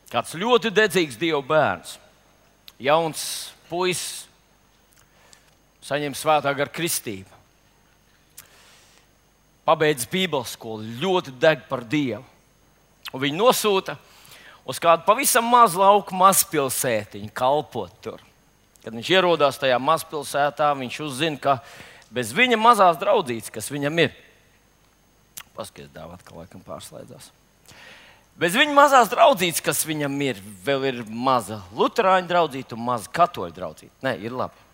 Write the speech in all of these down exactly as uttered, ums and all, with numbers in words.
Kāds ļoti dedzīgs Dieva bērns, jauns puisis, saņem svētā gara kristību, pabeidz Bībeles skolu, ļoti deg par Dievu. Un viņu nosūta uz kādu pavisam mazu lauku mazpilsētiņu kalpot tur. Kad viņš ierodās tajā mazpilsētā, viņš uzzina, ka bez viņa mazās draudzītes, kas viņam ir, paskaties, dāvā atkal laikam pārslēdzās. Bez viņa mazās draudzītes, kas viņam ir, vēl ir maza luterāņu draudzīte un maza katoļu draudzīte. Nē, ir labi.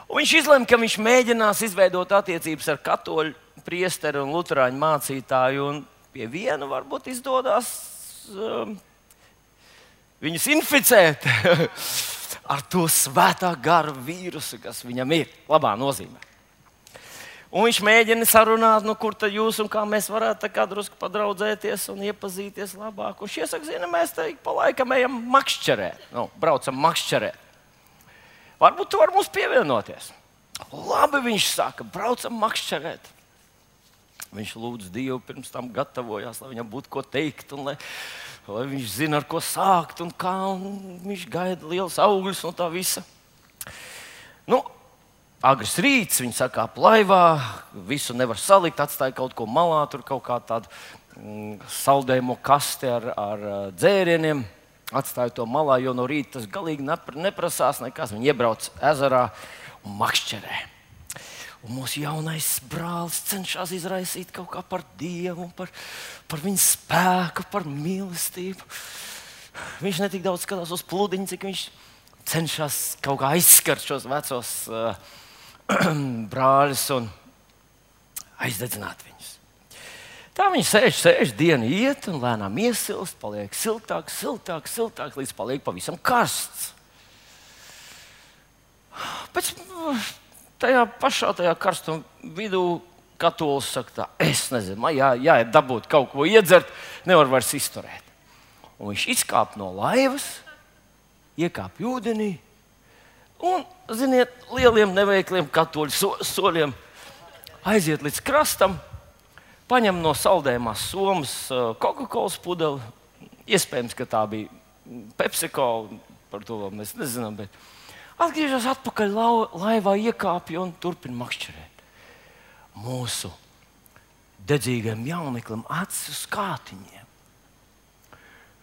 Un viņš izlēma, ka viņš mēģinās izveidot attiecības ar katoļu priesteri un luterāņu mācītāju, un pie viena varbūt izdodas um, viņus inficēt ar to svētā gara vīrusu, kas viņam ir, labā nozīmē. Un viņš mēģina sarunāt, nu, kur tad jūs un kā mēs varētu tā kā drusku padraudzēties un iepazīties labāk. Un šie saka, zina, mēs te pa laikam ejam makšķerēt, nu, braucam makšķerēt. Varbūt tu vari mums pievienoties. Labi, viņš saka, braucam makšķerēt. Viņš lūdz Dievu, pirms tam gatavojās, lai viņam būtu ko teikt, un lai, lai viņš zina, ar ko sākt un kā, un viņš gaida liels augļus no tā visa. Nu, agrs rīts, viņi sakāp laivā, visu nevar salikt, atstāja kaut ko malā, tur kaut kā tādu mm, saldējumu kasti ar, ar dzērieniem. Atstāja to malā, jo no rīta tas galīgi neprasās nekas. Viņi iebrauc ezerā un makšķerē. Un mūsu jaunais brālis cenšas izraisīt kaut kā par Dievu, par, par viņa spēku, par mīlestību. Viņš ne tik daudz skatās uz pludiņu, cik viņš cenšas kaut kā aizskart šos vecos uh, brāļus un aizdedzināt viņus. Tā viņi sēž, sēž, diena iet un lēnām iesilst, paliek siltāk, siltāk, siltāk, līdz paliek pavisam karsts. Pēc tajā pašā tajā karstuma vidū katolis saka tā, es nezinu, man jā, jāiet dabūt kaut ko iedzert, nevar vairs izturēt. Un viņš izkāp no laivas, iekāp ūdenī un, ziniet, lieliem neveikliem katoļu so, soļiem aiziet līdz krastam, paņem no saldējumās somas Coca-Colas pudeli. Iespējams, ka tā bija PepsiCo, par to vēl mēs nezinām, bet atgriežas atpakaļ laivā, iekāpja un turpina makšķerēt. Mūsu dedzīgajam jauneklim acis uz kātiņiem.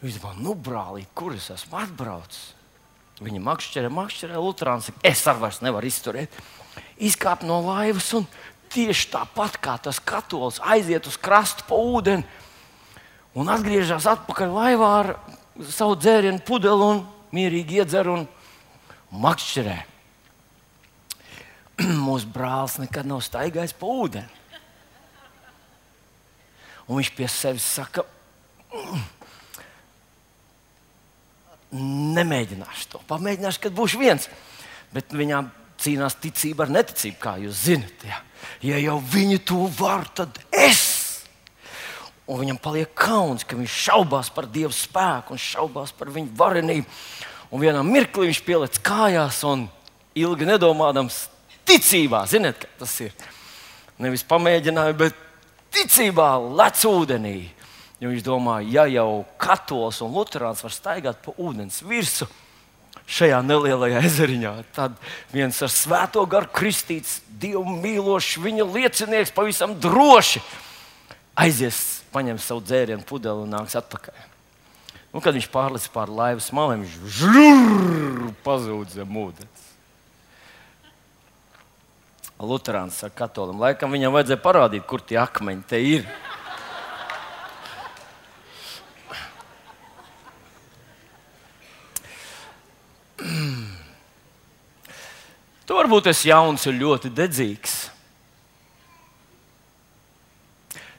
Viņš domā, nu brālīt, kur es esmu atbraucis? Viņa makšķerē, makšķerē, luterāns saka, es ar vairs nevaru izturēt. Izkāp no laivas un tieši tāpat kā tas katolis aiziet uz krastu pa ūdeni un atgriežas atpakaļ laivā ar savu dzērienu pudeli un mierīgi iedzer un makšķerē. Mūsu brālis nekad nav staigājis pa ūdeni. Un viņš pie sevis saka, nemēģināšu to, pamēģināšu, kad būšu viens. Bet viņām cīnās ticība ar neticību, kā jūs zinat. Ja, ja jau viņi to var, tad es. Un viņam paliek kauns, ka viņš šaubās par Dieva spēku un šaubās par viņu varenību. Un vienā mirklī viņš pieliec kājās un ilgi nedomādams ticībā, ziniet, kā tas ir. Nevis pamēģināja, bet ticībā lec ūdenī. Jo viņš domā, ja jau katolis un luterāns var staigāt pa ūdens virsu šajā nelielajā ezeriņā, tad viens ar svēto garu kristīts, Dievu mīlošs, viņa liecinieks pavisam droši aizies, paņem savu dzērienu pudeli un nāks atpakaļ. Un, kad viņš pārlic pār laivas maliem, viņš žurr, pazūd zem ūdens. Luterāns saka katolim, laikam viņam vajadzēja parādīt, kur tie akmeņi te ir. Tu varbūt esi jauns un ļoti dedzīgs.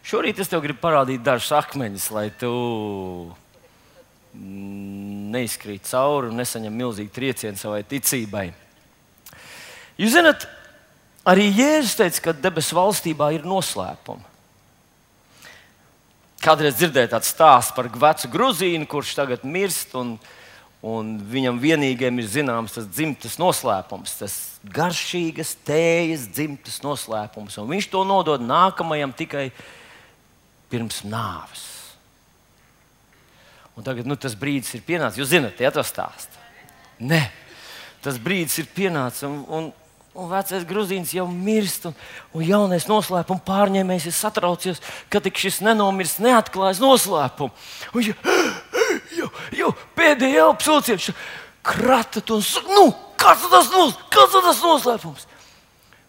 Šorīt es tev gribu parādīt dažus akmeņus, lai tu neizkrīt cauri un nesaņem milzīgu triecienu savai ticībai. Jūs zināt, arī Jēzus teica, ka debesu valstībā ir noslēpumi. Kādreiz dzirdēju tādu stāstu par vecu gruzīnu, kurš tagad mirst, un, un viņam vienīgajam ir zināms tas dzimtas noslēpums, tas garšīgas tējas dzimtas noslēpums. Un viņš to nodod nākamajam tikai pirms nāves. Un tagad nu, tas brīdis ir pienācis. Jūs zināt, ja to stāstu? Nē, tas brīdis ir pienācis. Un, un, un vecais Gruzīns jau mirst. Un, un jaunais noslēpuma pārņēmējs ir satraucies, ka tik šis nenomirst, neatklājas noslēpumu. Un jau, jau, jau pēdējā apsūdzies, kratat un saka, nu, kas tas, nos, kas tas noslēpums?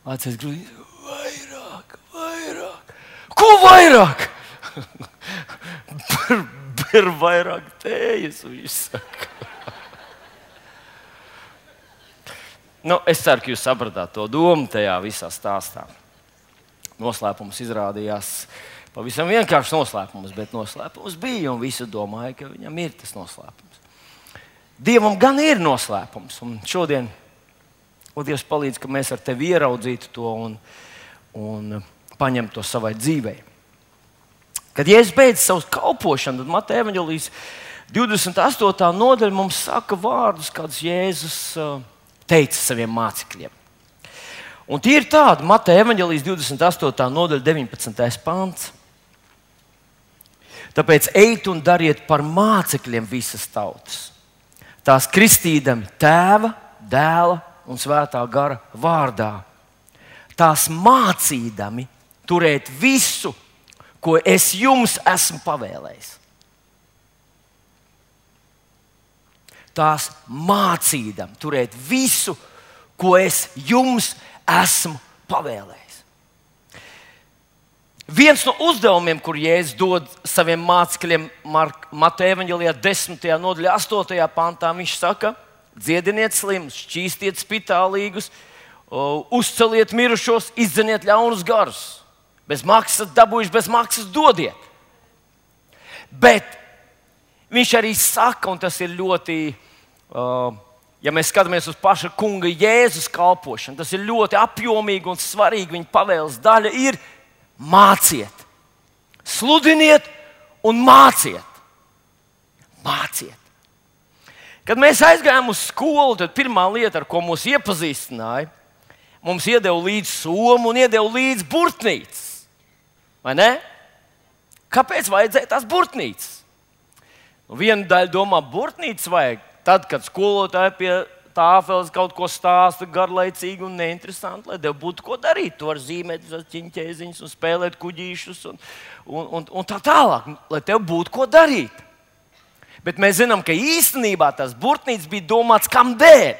Vecais Gruzīns, vairāk, vairāk. Ko vairāk? Ir vairāk tējas, viņš saka. Nu, es ceru, ka jūs sapratāt to domu tajā visā stāstā. Noslēpums izrādījās pavisam vienkāršs noslēpums, bet noslēpums bija, un visi domāja, ka viņam ir tas noslēpums. Dievam gan ir noslēpums, un šodien, un Dievs palīdz, ka mēs ar tevi ieraudzītu to un, un paņemtu to savai dzīvei. Kad Jēzus beidz savu kalpošanu, tad Mateja evaņģēlijas divdesmit astotā nodaļa mums saka vārdus, kādus Jēzus teica saviem mācekļiem. Un tie ir tādi, Mateja evaņģēlijas divdesmit astotā nodaļa, deviņpadsmitais pants. Tāpēc ejiet un dariet par mācekļiem visas tautas, tās kristīdami Tēva, Dēla un Svētā gara vārdā, tās mācīdami turēt visu, ko es jums esmu pavēlējis. Tās mācīdam turēt visu, ko es jums esmu pavēlējis. Viens no uzdevumiem, kur Jēzus dod saviem mācekļiem Mateja evaņģēlijā desmitajā nodaļā, astotajā pantā, viņš saka, dziediniet slimus, šķīstiet spitālīgus, uzceliet mirušos, izdzeniet ļaunus garus. Bez maksas dabūjuši, bez maksas dodiet. Bet viņš arī saka, un tas ir ļoti, uh, ja mēs skatāmies uz paša kunga Jēzus kalpošanu, tas ir ļoti apjomīgi un svarīgi. Viņa pavēles daļa ir māciet, sludiniet un māciet. Māciet. Kad mēs aizgājām uz skolu, tad pirmā lieta, ar ko mūs iepazīstināja, mums iedeva līdzi somu un iedeva līdzi burtnīcas. Vai ne? Kāpēc vajadzēja tās burtnīcas? Nu, viena daļa domā, burtnīcas vajag tad, kad skolotāji pie tāfeles kaut ko stāsta garlaicīgi un neinteresanti, lai tev būtu ko darīt. Tu vari zīmēt ķiņķēziņus un spēlēt kuģīšus un, un, un, un tā tālāk, lai tev būtu ko darīt. Bet mēs zinām, ka īstenībā tās burtnīcas bija domāts kam dēļ?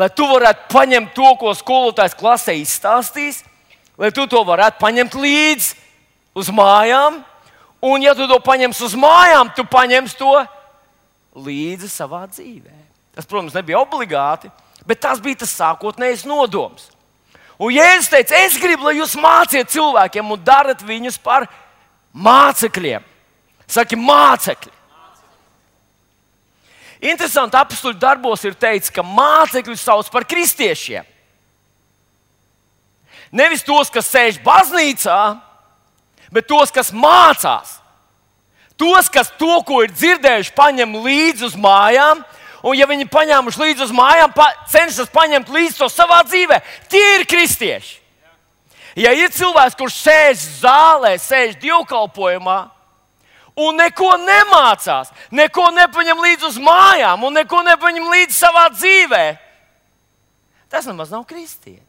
Lai tu varētu paņemt to, ko skolotājs klasē izstāstīs, lai tu to varētu paņemt līdzi uz mājām, un ja tu to paņemsi uz mājām, tu paņemsi to līdzi savā dzīvē. Tas, protams, nebija obligāti, bet tas bija tas sākotnējais nodoms. Un Jēzus teica, es gribu, lai jūs māciet cilvēkiem un darat viņus par mācekļiem. Saki, mācekļi. Interesanti, apstuļu darbos ir teikts, ka mācekļus sauc par kristiešiem. Nevis tos, kas sēž baznīcā, bet tos, kas mācās. Tos, kas to, ko ir dzirdējuši, paņem līdzi uz mājām, un ja viņi paņēmuši līdzi uz mājām, pa, cenšas paņemt līdzi to savā dzīvē, tie ir kristieši. Ja ir cilvēks, kurš sēž zālē, sēž dievkalpojumā, un neko nemācās, neko nepaņem līdzi uz mājām, un neko nepaņem līdzi savā dzīvē, tas nemaz nav kristietis.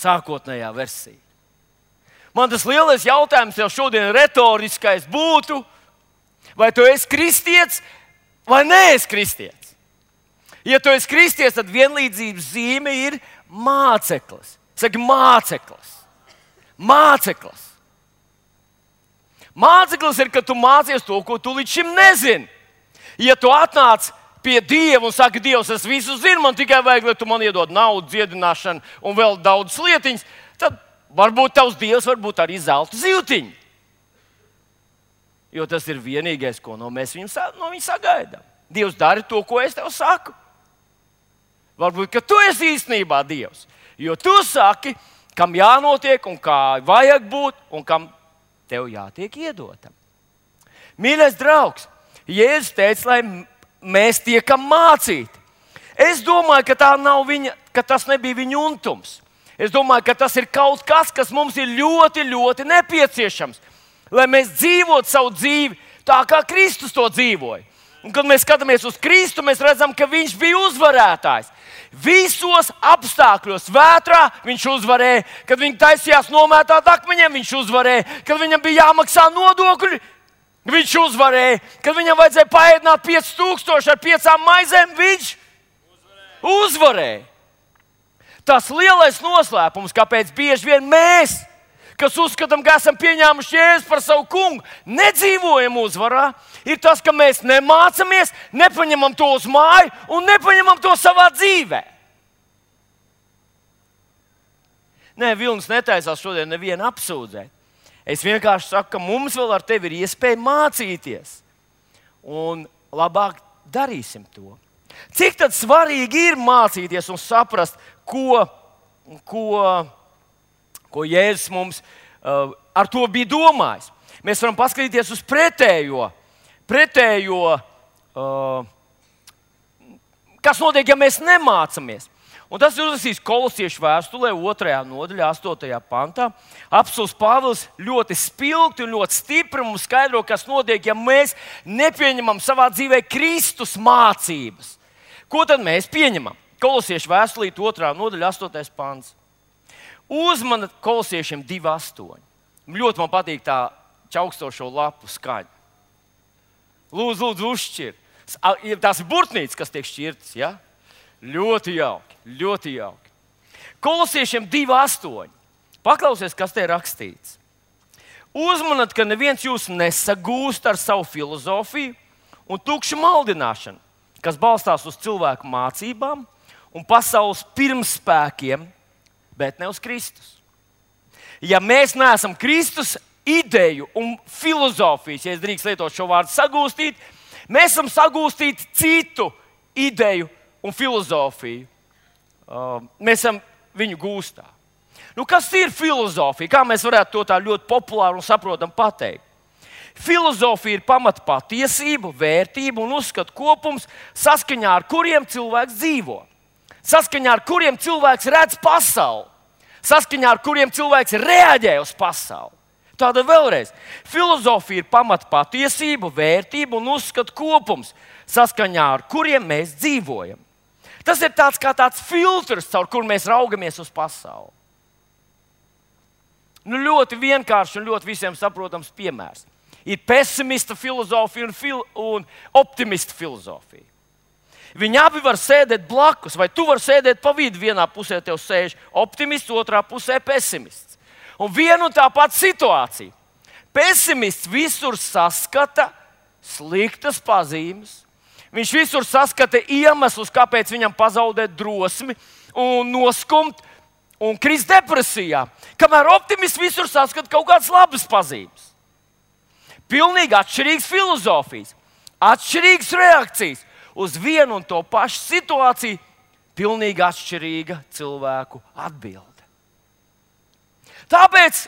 Sākotnējā versija. Man tas lielais jautājums jau šodien retoriskais būtu, vai tu esi kristietis vai neesi kristietis. Ja tu esi kristietis, tad vienlīdzības zīme ir māceklis. Saki, māceklis. Māceklis. Māceklis ir, ka tu mācies to, ko tu līdz šim nezini. Ja tu atnāc pie Dieva un saka, Dievs, es visu zinu, man tikai vajag, lai tu man iedod naudu, dziedināšanu un vēl daudz lietiņas, tad varbūt tavs Dievs varbūt arī zelta zivtiņu. Jo tas ir vienīgais, ko no mēs viņam, no viņa sagaidām. Dievs dara to, ko es tev saku. Varbūt, ka tu esi īstenībā Dievs. Jo tu saki, kam jānotiek un kā vajag būt un kam tev jātiek iedotam. Mīļais draugs, Jēzus teica, lai mēs tiekam mācīti. Es domāju, ka, tā nav viņa, ka tas nebija viņa untums. Es domāju, ka tas ir kaut kas, kas mums ir ļoti, ļoti nepieciešams, lai mēs dzīvotu savu dzīvi tā, kā Kristus to dzīvoja. Un, kad mēs skatāmies uz Kristu, mēs redzam, ka viņš bija uzvarētājs. Visos apstākļos, vētrā viņš uzvarēja, kad viņi taisījās nomētāt akmeņiem, viņš uzvarēja, kad viņam bija jāmaksā nodokļi, viņš uzvarēja, kad viņam vajadzēja paēdināt pieci tūkstoši ar piecām maizēm, viņš uzvarēja. uzvarēja. Tas lielais noslēpums, kāpēc bieži vien mēs, kas uzskatām, ka esam pieņēmuši Jēzu par savu kungu, nedzīvojam uzvarā, ir tas, ka mēs nemācāmies, nepaņemam to uz māju un nepaņemam to savā dzīvē. Nē, Vilnis netaisās šodien nevienu apsūdzēt. Es vienkārši saku, ka mums vēl ar tevi ir iespēja mācīties. Un labāk darīsim to. Cik tad svarīgi ir mācīties un saprast, ko, ko, ko Jēzus mums uh, ar to bija domājis. Mēs varam paskatīties uz pretējo. pretējo uh, kas notiek, ja mēs nemācāmies. Un tas ir uzrakstīts Kolosiešu vēstulē, otrajā nodaļā, astotajā pantā. Apostols Pāvils ļoti spilgti un ļoti stipri mums skaidro, kas notiek, ja mēs nepieņemam savā dzīvē Kristus mācības. Ko tad mēs pieņemam? Kolosiešu vēstulīt, otrā nodaļa, astotais pants. Uzmanat Kolosiešiem divi astoņi. Ļoti man patīk tā čaukstošo lapu skaņa. Lūdzu, lūdzu, uzšķir. Tās ir burtnītes, kas tiek šķirtas, ja? Ļoti jauki, ļoti jauki. Kolosiešiem divi astoņi. Paklausies, kas te ir rakstīts. Uzmanat, ka neviens jūs nesagūst ar savu filozofiju un tukšu maldināšanu, kas balstās uz cilvēku mācībām un pasaules pirmspēkiem, bet ne uz Kristus. Ja mēs neesam Kristus ideju un filozofijas, ja es drīkst lietot šo vārdu sagūstīt, mēs esam sagūstīti citu ideju un filozofiju. Uh, mēs esam viņu gūstā. Nu, kas ir filozofija? Kā mēs varētu to tā ļoti populāri un saprotam pateikt? Filozofija ir pamata patiesību, vērtību un uzskatu kopums, saskaņā ar kuriem cilvēks dzīvo. Saskaņā ar kuriem cilvēks redz pasauli. Saskaņā ar kuriem cilvēks reaģē uz pasauli. Tātad vēlreiz, filozofija ir pamata patiesību, vērtību un uzskatu kopums, saskaņā ar kuriem mēs dzīvojam. Tas ir tāds kā tāds filtrs, caur kuru mēs raugamies uz pasauli. Nu, ļoti vienkārši un ļoti visiem saprotams piemērs. Ir pesimista filozofija un, fil un optimista filozofija. Viņi abi var sēdēt blakus, vai tu vari sēdēt pa vidu. Vienā pusē tev sēž optimists, otrā pusē pesimists. Un viena un tā pati situācija. Pesimists visur saskata sliktas pazīmes. Viņš visur saskata iemeslus, kāpēc viņam pazaudēt drosmi un noskumt un krist depresijā. Kamēr optimists visur saskata kaut kādas labas pazīmes. Pilnīgi atšķirīgas filozofijas, atšķirīgas reakcijas uz vienu un to pašu situāciju, pilnīgi atšķirīga cilvēku atbilde. Tāpēc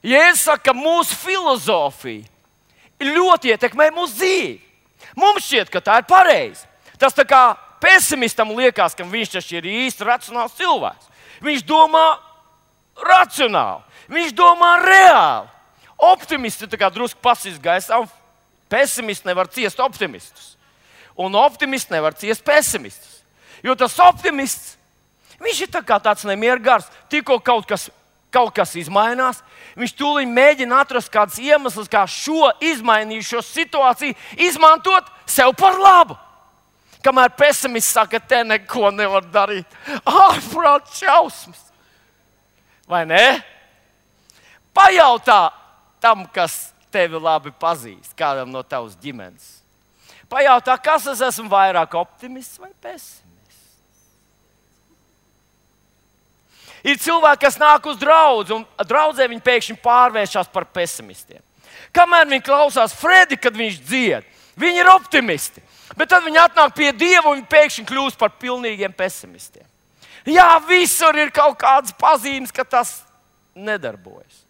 Jēzus saka, ka mūsu filozofija ļoti ietekmē mūsu dzīvi. Mums šķiet, ka tā ir pareizi. Tas tā kā pesimistam liekas, ka viņš taču ir īsti racionāls cilvēks. Viņš domā racionāli, viņš domā reāli. Optimisti ir drusku pasīs gaisā, un pesimisti nevar ciest optimistus. Un optimisti nevar ciest pesimistus. Jo tas optimists, viņš ir tā kā tāds nemiergars, tikko kaut kas, kaut kas izmainās, viņš tūlīt mēģina atrast kādus iemeslus, kā šo izmainījušo situāciju izmantot sev par labu. Kamēr pesimists saka, te neko nevar darīt. Ārprāt šausmas. Vai ne? Pajautā tam, kas tevi labi pazīst, kādam no tavas ģimenes. Pajautā, kas es esmu vairāk optimists vai pesimists. Ir cilvēki, kas nāk uz draudzi, un draudzē viņi pēkšņi pārvēršas par pesimistiem. Kamēr viņi klausās Fredi, kad viņš dzied, viņi ir optimisti. Bet tad viņi atnāk pie Dieva un pēkšņi kļūst par pilnīgiem pesimistiem. Jā, visur ir kaut kādas pazīmes, ka tas nedarbojas.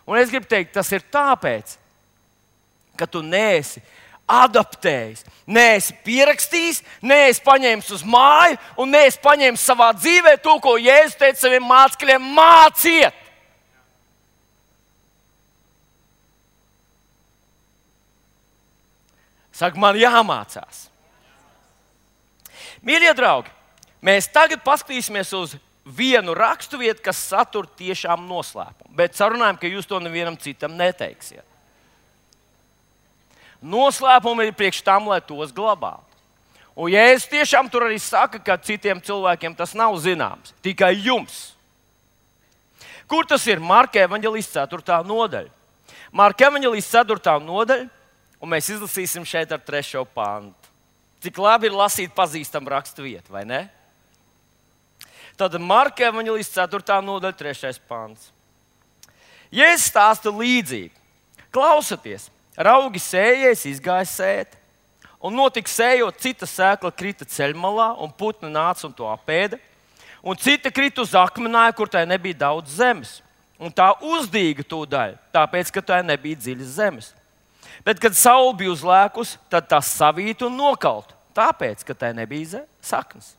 Un es gribu teikt, tas ir tāpēc, ka tu neesi adaptējis, neesi pierakstījis, neesi paņēmis uz māju un neesi paņēmis savā dzīvē to, ko Jēzus teica saviem mācekļiem: māciet! Saka, man jāmācās. Mīļie draugi, mēs tagad paskatīsimies uz vienu raksturvietu, kas satur tiešām noslēpumu. Bet sarunājam, ka jūs to nevienam citam neteiksiet. Noslēpumi ir priekš tam, lai tos glabātu. Un Jēzus tiešām tur arī saka, ka citiem cilvēkiem tas nav zināms, tikai jums. Kur tas ir? Marka evaņģēlijas ceturtā nodaļa. Marka evaņģēlijas ceturtā nodaļa, un mēs izlasīsim šeit ar trešo pantu. Cik labi ir lasīt pazīstamu raksturvietu, vai ne? Tad Marka evaņģēlijas ceturtā nodaļa, trešais pants. Jēzus stāsta līdzību. Klausieties, raugi sējējs izgāja sēt, un notika sējot, cita sēkla krita ceļmalā, un putni nāca un to apēda, un cita krita uz akmenāju, kur tai nebija daudz zemes, un tā uzdīga tūdaļ, tāpēc, ka tai nebija dziļas zemes. Bet, kad saule bija uzlēkus, tad tā savīta un nokalta, tāpēc, ka tai nebija saknes.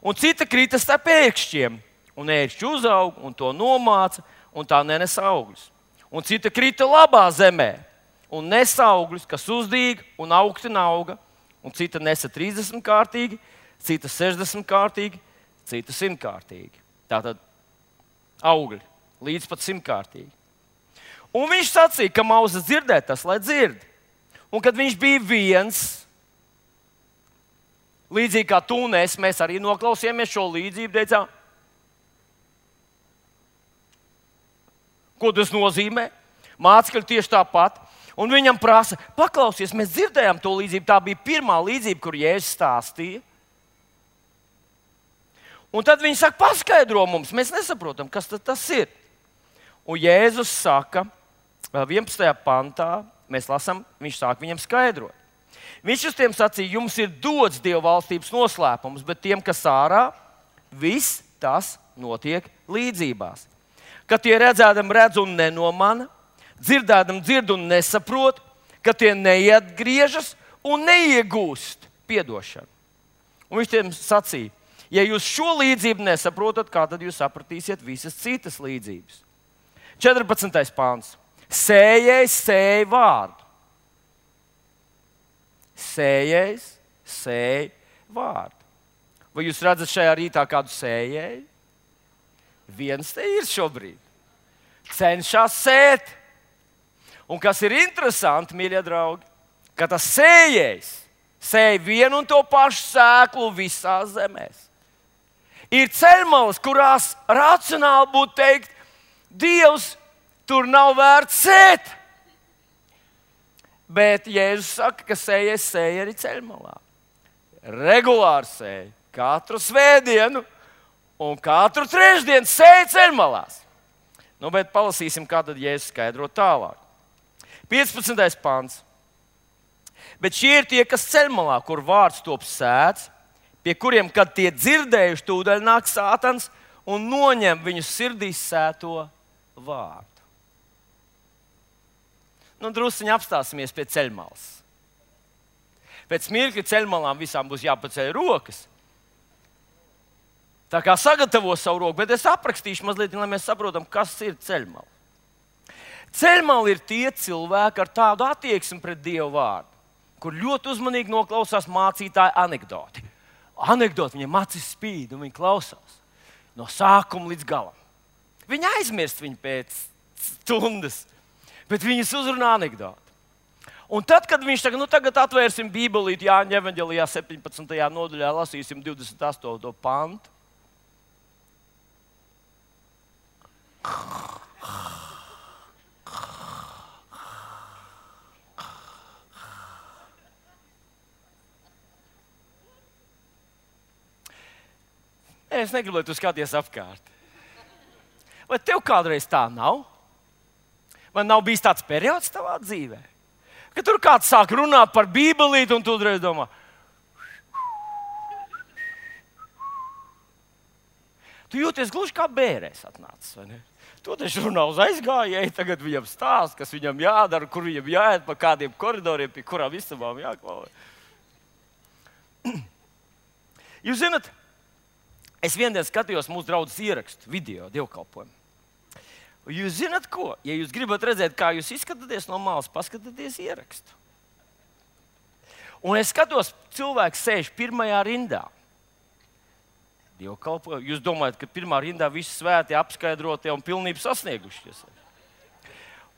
Un cita krita starp ērkšķiem, un ērkšķi uzauga un to nomāca, un tā nenesa augļus. Un cita krita labā zemē, un nesa augļus, kas uzdīga un augti auga, un cita nesa trīsdesmit kārtīgi, cita sešdesmit kārtīgi, cita simt kārtīgi. Tātad augļi līdz pat simt kārtīgi. Un viņš sacīja, ka mauzas dzirdēt tas, lai dzird. Un kad viņš bija viens, līdzīgi kā tu un es, mēs arī noklausījāmies šo līdzību, teicām, ko tas nozīmē? Mācekļi tieši tāpat. Un viņam prasa, paklausies, mēs dzirdējām to līdzību. Tā bija pirmā līdzība, kur Jēzus stāstīja. Un tad viņi saka, paskaidro mums, mēs nesaprotam, kas tas ir. Un Jēzus saka, vienpadsmitajā pantā, mēs lasām, viņš sāk viņam skaidrot. Viņš uz tiem sacīja, jums ir dots Dieva valstības noslēpums, bet tiem, kas ārā, viss tas notiek līdzībās. Kad tie redzēdam redz un nenomana, dzirdēdam dzird un nesaprot, ka tie neatgriežas un neiegūst piedošanu. Un viņš tiem sacīja, ja jūs šo līdzību nesaprotat, kā tad jūs sapratīsiet visas citas līdzības? četrpadsmitais pāns. Sējējs sēj vārdu. Sējējs sēj vārdu. Vai jūs redzat šajā rītā kādu sējēju? Viens te ir šobrīd. Cenšas sēt. Un kas ir interesanti, mīļie draugi, ka tas sējējs sēj vienu un to pašu sēklu visās zemēs. Ir ceļmalas, kurās racionāli būtu teikt, Dievs, tur nav vērts sēt. Bet Jēzus saka, ka sējais sēja arī ceļmalā. Regulāri sēja. Katru svētdienu un katru trešdienu sēja ceļmalās. Nu, bet palasīsim, kā tad Jēzus skaidro tālāk. piecpadsmitais pants. Bet šie ir tie, kas ceļmalā, kur vārds top sēts, pie kuriem, kad tie dzirdējuši, tūdaļ nāk Sātans un noņem viņu sirdīs sēto vārdu. Nu, drusciņi apstāsimies pie ceļmalas. Pēc mirkļa ceļmalām visām būs jāpaceļ rokas. Tā kā sagatavo savu roku, bet es aprakstīšu mazliet, lai mēs saprotam, kas ir ceļmala. Ceļmala ir tie cilvēki ar tādu attieksmi pret Dievu vārdu, kur ļoti uzmanīgi noklausās mācītāja anekdoti. Anekdoti, viņiem acis spīd un viņi klausās no sākuma līdz galam. Viņi aizmirst viņu pēc stundas, bet viņus uzrunā anekdoti. Un tad, kad viņš saka, nu tagad atvērsim Bībelīti Jāņa evaņģēlijā septiņpadsmitajā nodaļā, lasīsim divdesmit astoto pantu. Es negribu, lai tu skaties apkārt. Vai tev kādreiz tā nav? Vai nav bijis tāds periods tavā dzīvē, ka tur kāds sāk runāt par Bībelīti un tu uzreiz domā, tu jūties gluži kā bērēs atnācis, vai ne? To taču runā uz aizgājēju, tagad viņam stāsta, kas viņam jādara, kur viņam jāiet, pa kādiem koridoriem, pie kurām istabām jāklauj. Jūs zināt, es viendien skatījos mūsu draudzes ierakstu, video, dievkalpojumu. Jūs zināt ko? Ja jūs gribat redzēt, kā jūs izskatāties no malas, paskatieties ierakstu. Un es skatos, cilvēks sēž pirmajā rindā. Dievkalpojumu. Jūs domājat, ka pirmā rindā visi svēti, apskaidrotie un pilnību sasniegušies.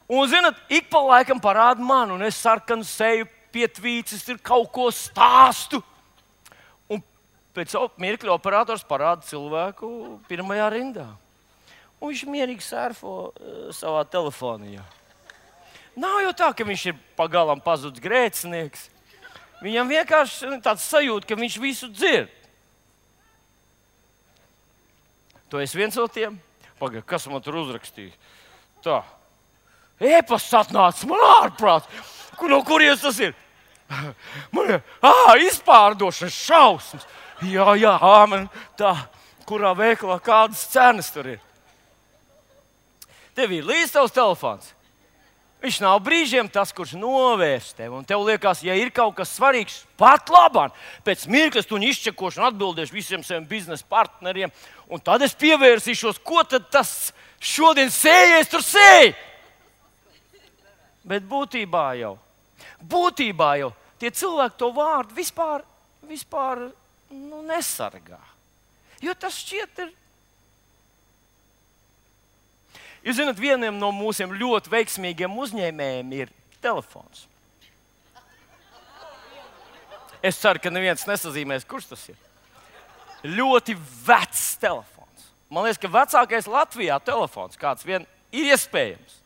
Un, zināt, ik pa laikam parāda man, un es sarkanu seju pietvīcis, ir kaut ko stāstu. Un pēc mirkļa operators parāda cilvēku pirmajā rindā. Un viņš mierīgi surfo uh, savā telefonijā. Nav jau tā, ka viņš ir pagalam pazudis grēcinieks. Viņam vienkārši tāds sajūta, ka viņš visu dzird. To es viens no tiem. Pagaid, kas man tur uzrakstīja? Tā. E-pasts atnāca, man ārprāts. Kur, no kurienes tas ir? Man ir, ā, izpārdošanas šausmas. Jā, jā, āmen. Tā, kurā veikalā kādas cenas tur ir. Tev ir līdz tavs telefons. Viņš nav brīžiem tas, kurš novērš tevi. Un tev liekas, ja ir kaut kas svarīgs, pat labāk. Pēc mirkļa tu izčekošu un atbildēšu visiem saviem biznesa partneriem. Un tad es pievērsīšos, ko tad tas šodien sējies tur sēj. Bet būtībā jau, būtībā jau tie cilvēki to vārdu vispār, vispār nu, nesargā. Jo tas šķiet ir. Jūs zināt, vienam no mūsiem ļoti veiksmīgiem uzņēmējiem ir telefons. Es ceru, ka neviens nesazīmēs, kurš tas ir. Ļoti vecs telefons. Man liekas, ka vecākais Latvijā telefons kāds vien ir iespējams.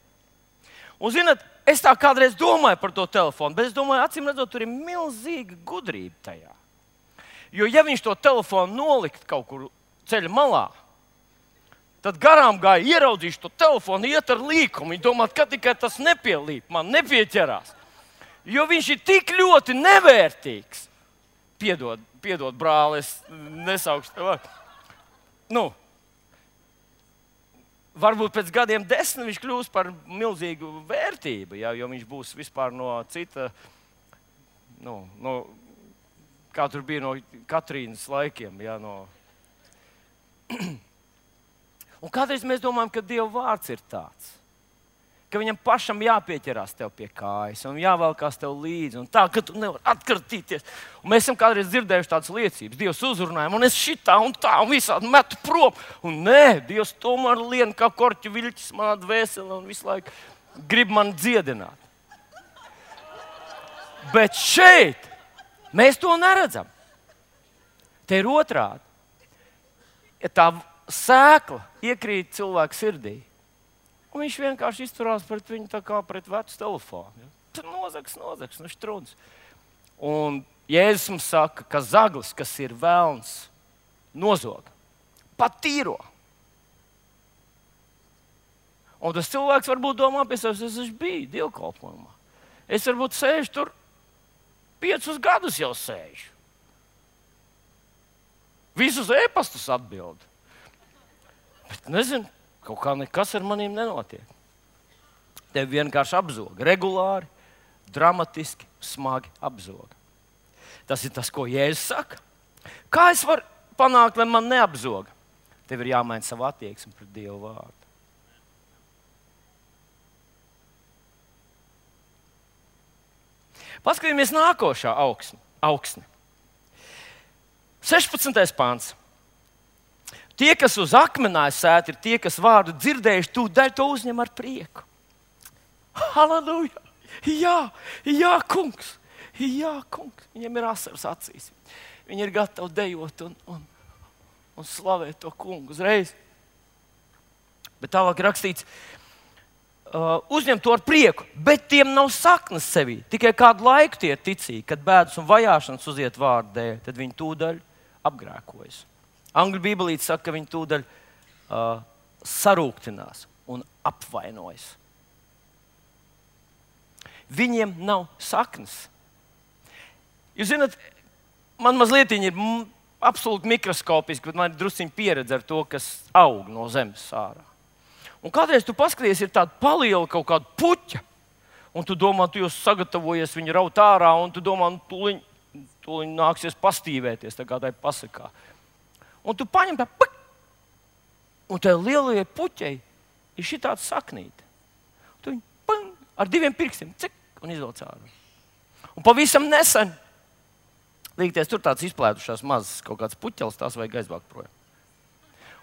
Un, zināt, es tā kādreiz domāju par to telefonu, bet es domāju, acīm redzot, tur ir milzīga gudrība tajā. Jo, ja viņš to telefonu nolikt kaut kur ceļa malā, tad garām gāja, ieraudzīšu to telefonu, iet ar līkumu. Viņi domā, ka tikai tas nepielīp, man nepieķerās. Jo viņš ir tik ļoti nevērtīgs. Piedod, piedod brāli, es nesaukšu tev. Nu, varbūt pēc gadiem desmit viņš kļūs par milzīgu vērtību, ja, jo viņš būs vispār no cita, nu, no, kā tur bija no Katrīnas laikiem, ja, no... Un kādreiz mēs domājam, ka Dieva vārds ir tāds, ka viņam pašam jāpieķerās tev pie kājas un jāvelkās tev līdzi, un tā, ka tu nevari atkartīties. Un mēs esam kādreiz dzirdējuši tādas liecības. Dievs uzrunāja, un es šitā un tā, un visādi metu prom. Un nē, Dievs tomēr lien kā korķu viļķis manā dvēselē un visu laiku grib man dziedināt. Bet šeit mēs to neredzam. Te ir otrādi. Ja tā sēkla iekrīt cilvēku sirdī, un viņš vienkārši izturās pret viņu tā kā pret vecu telefonu. Ja? Tas nozags, nozags, nu štruns. Un Jēzus mums saka, ka zaglis, kas ir velns, nozoga, pat tīro. Un tas cilvēks varbūt domā pie sevis, es esmu biju dievkalpojumā. Es varbūt sēžu tur piecus gadus jau sēžu. Visus e-pastus atbildu. Bet nezinu, kaut kā nekas ar maniem nenotiek. Tevi vienkārši apzoga. Regulāri, dramatiski, smagi apzoga. Tas ir tas, ko Jēzus saka. Kā es varu panākt, lai man neapzoga? Tev ir jāmaina savu attieksmi pret Dieva vārdu. Paskatīsimies nākošā augsne, augsne. sešpadsmitais pāns. Tie, kas uz akmenā sēti, ir tie, kas vārdu dzirdējuši, tūdaļ to uzņem ar prieku. Halleluja! Jā, jā, kungs! Jā, kungs! Viņiem ir asaras acīs. Viņi ir gatavi dejot un, un, un slavēt to kungu uzreiz. Bet tālāk rakstīts, uh, uzņem to ar prieku, bet tiem nav saknes sevī. Tikai kādu laiku tie ir ticīgi, kad bēdas un vajāšanas uziet vārdu dēļ, tad viņi tūdaļ apgrēkojas. Angļu bībelīte saka, ka viņi tūdaļ uh, sarūktinās un apvainojas. Viņiem nav saknes. Jūs zināt, man mazliet ir m, absolūti mikroskopiski, bet man ir drusciņi pieredze ar to, kas aug no zemes ārā. Un kādreiz tu paskaties, ir tāda paliela kaut kāda puķa, un tu domā, tu jau sagatavojies viņu raut ārā, un tu domā, nu, tūliņ, tūliņ nāksies pastīvēties, tā kā tai pasakā. Un tu paņem tā, pak, un tai lielajai puķei ir šī tāda saknīte. Tu viņu pang, ar diviem pirkstiem, cik, un izvelc ārā. Un pavisam nesen, līgties, tur tāds izplētušās mazas kaut kāds puķelis, tās vajag aizvākt projām.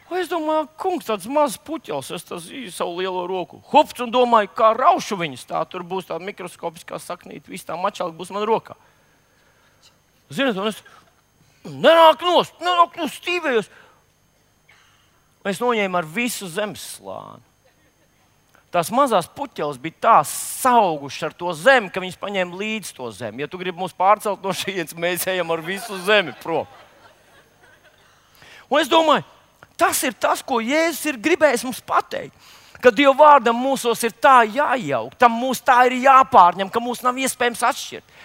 Un es domāju, kungs, tāds mazs puķels, es tas īju savu lielo roku. Hups, un domāju, kā raušu viņus, tā tur būs tāda mikroskopiskā saknīte, viss tā mačāli būs man rokā. Ziniet, un es nenāk nost, nenāk nost, stīvējos. Un es noņēmu ar visu zemes slāni. Tās mazās puķeles bija tā saugušas ar to zemi, ka viņas paņēma līdz to zemi. Ja tu gribi mūs pārcelt no šejienes, mēs ejam ar visu zemi prom. Un es domāju, tas ir tas, ko Jēzus ir gribējis mums pateikt. Ka Dieva vārdam mūsos ir tā jājauk, tam mūs tā ir jāpārņem, ka mūs nav iespējams atšķirt.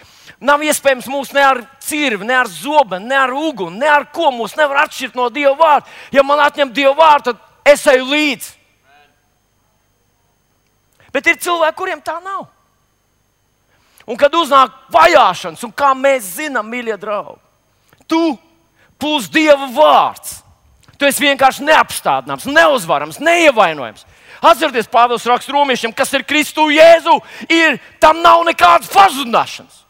Nav iespējams mūs ne ar cirvi, ne ar zobenu, ne ar uguni, ne ar ko mūs nevar atšķirt no Dieva vārda. Ja man atņem Dieva vārdu, tad es eju līdzi. Bet ir cilvēki, kuriem tā nav. Un kad uznāk vajāšanas, un kā mēs zinām, mīļie draugi, tu plus Dieva vārds. Tu esi vienkārši neapstādināms, neuzvarams, neievainojams. Atcerieties, Pāvils raksta romiešiem, kas ir Kristu Jēzu, ir, tam nav nekādas pazudināšanas.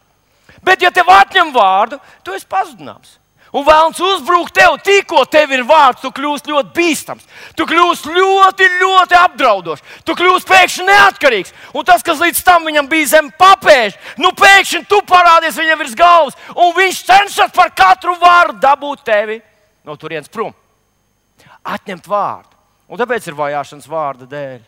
Bet, ja tev atņem vārdu, tu esi pazudināms. Un vēlns uzbrūk tev, tikko tev ir vārds, tu kļūsi ļoti bīstams. Tu kļūsi ļoti, ļoti apdraudošs. Tu kļūsi pēkšņi neatkarīgs. Un tas, kas līdz tam viņam bija zem papēža, nu pēkšņi tu parādies viņam virs galvas. Un viņš cenšas par katru vārdu dabūt tevi no turienes prom. Atņemt vārdu. Un tāpēc ir vajāšanas vārda dēļ.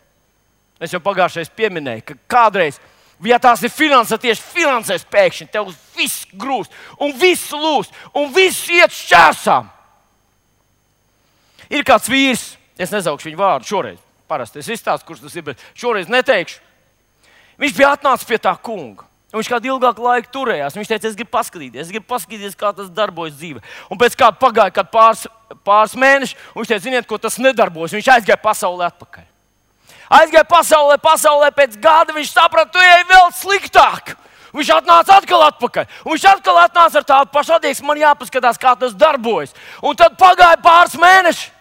Es jau pagājušais pieminēju, ka kādreiz, ja tās ir finanses, tieši finansēs pēkšņi, tev viss grūst, un viss lūst, un viss iet šķērsām. Ir kāds vīrs, es nezaukšu viņu vārdu šoreiz, parasti es izstāstu, kurš tas ir, bet šoreiz neteikšu. Viņš bija atnācis pie tā kunga. Un viņš kādu ilgāku laiku turējās. Viņš teica, es gribu paskatīties, es gribu paskatīties, kā tas darbojas dzīvē. Un pēc kāda pagāja kād pāris, pāris mēneši, un viņš teica, ziniet, ko tas nedarbojas. Viņš aizgāja pasaulē atpakaļ. Aizgāja pasaulē, pasaulē pēc gada viņš saprata, tu ej vēl sliktāk. Viņš atnāca atkal atpakaļ. Un viņš atkal atnāca ar tādu pašu attieksmi, man jāpaskatās, kā tas darbojas. Un tad pagāja pāris mēneši.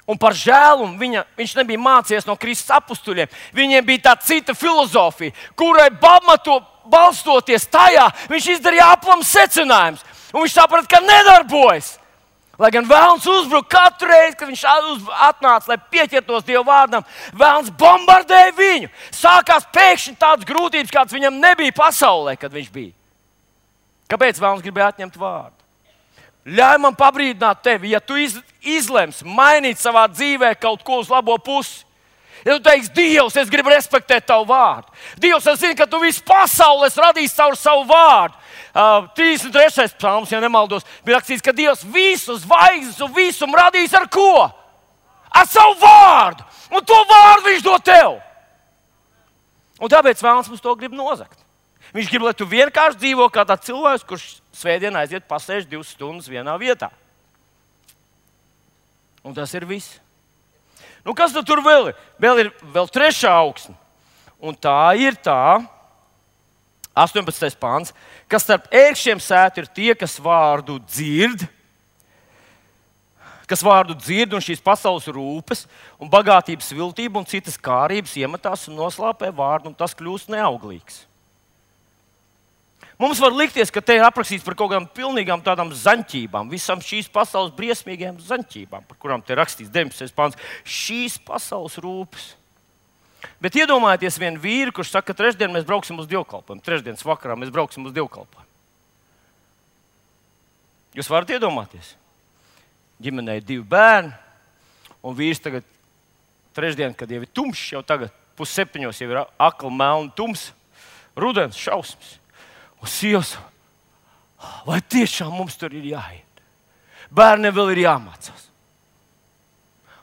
Un par žēlumu viņa, viņš nebija mācījies no Kristus apustuļiem. Viņiem bija tā cita filozofija, kurai pamato, balstoties tajā, viņš izdarīja aplams secinājums. Un viņš saprata, ka nedarbojas. Lai gan vēlns uzbruka katru reizi, kad viņš atnāca, lai pieķertos Dieva vārdam, vēlns bombardēja viņu. Sākās pēkšņi tādas grūtības, kādas viņam nebija pasaulē, kad viņš bija. Kāpēc vēlns gribēja atņemt vārdu? Ļauj man pabrīdināt tevi, ja tu iz, izlemsi mainīt savā dzīvē kaut ko uz labo pusi. Ja tu teiksi, Dievs, es gribu respektēt tavu vārdu. Dievs, es zinu, ka tu visu pasauli esi radījis caur savu vārdu. Uh, trīsdesmit trešais psalms, ja nemaldos, bija rakstīts, ka Dievs visu zvaigznes un visumu radījis ar ko? Ar savu vārdu. Un to vārdu viņš dod tev. Un tāpēc vēlams mums to grib nozagt. Viņš grib, lai tu vienkārši dzīvo kā tāds cilvēks, kurš svētdienā aiziet pasēž divas stundas vienā vietā. Un tas ir viss. Nu, kas tad tur vēl ir? Vēl ir vēl trešā augsne. Un tā ir tā, astoņpadsmitais pāns, kas starp ērkšķiem sēt ir tie, kas vārdu dzird, kas vārdu dzird un šīs pasaules rūpes un bagātības viltību un citas kārības iemetās un noslāpē vārdu, un tas kļūst neauglīgs. Mums var likties, ka te ir aprakstīts par kaut kādām pilnīgām tādām zaņķībām, visam šīs pasaules briesmīgajām zaņķībām, par kurām te rakstīts deviņpadsmitais pāns. Šīs pasaules rūpes. Bet iedomājieties vienu vīru, kurš saka, ka trešdien mēs brauksim uz dievkalpojumu, trešdienas vakarā mēs brauksim uz dievkalpojumu. Jūs varat iedomāties? Ģimenei divi bērni, un vīrs tagad trešdien, kad jau ir tumšs, jau tagad pusseptiņos jau ir akli, melni, tums, rudens, šausmas. Un sievas, vai tiešām mums tur ir jāiet? Bērniem vēl ir jāmācās.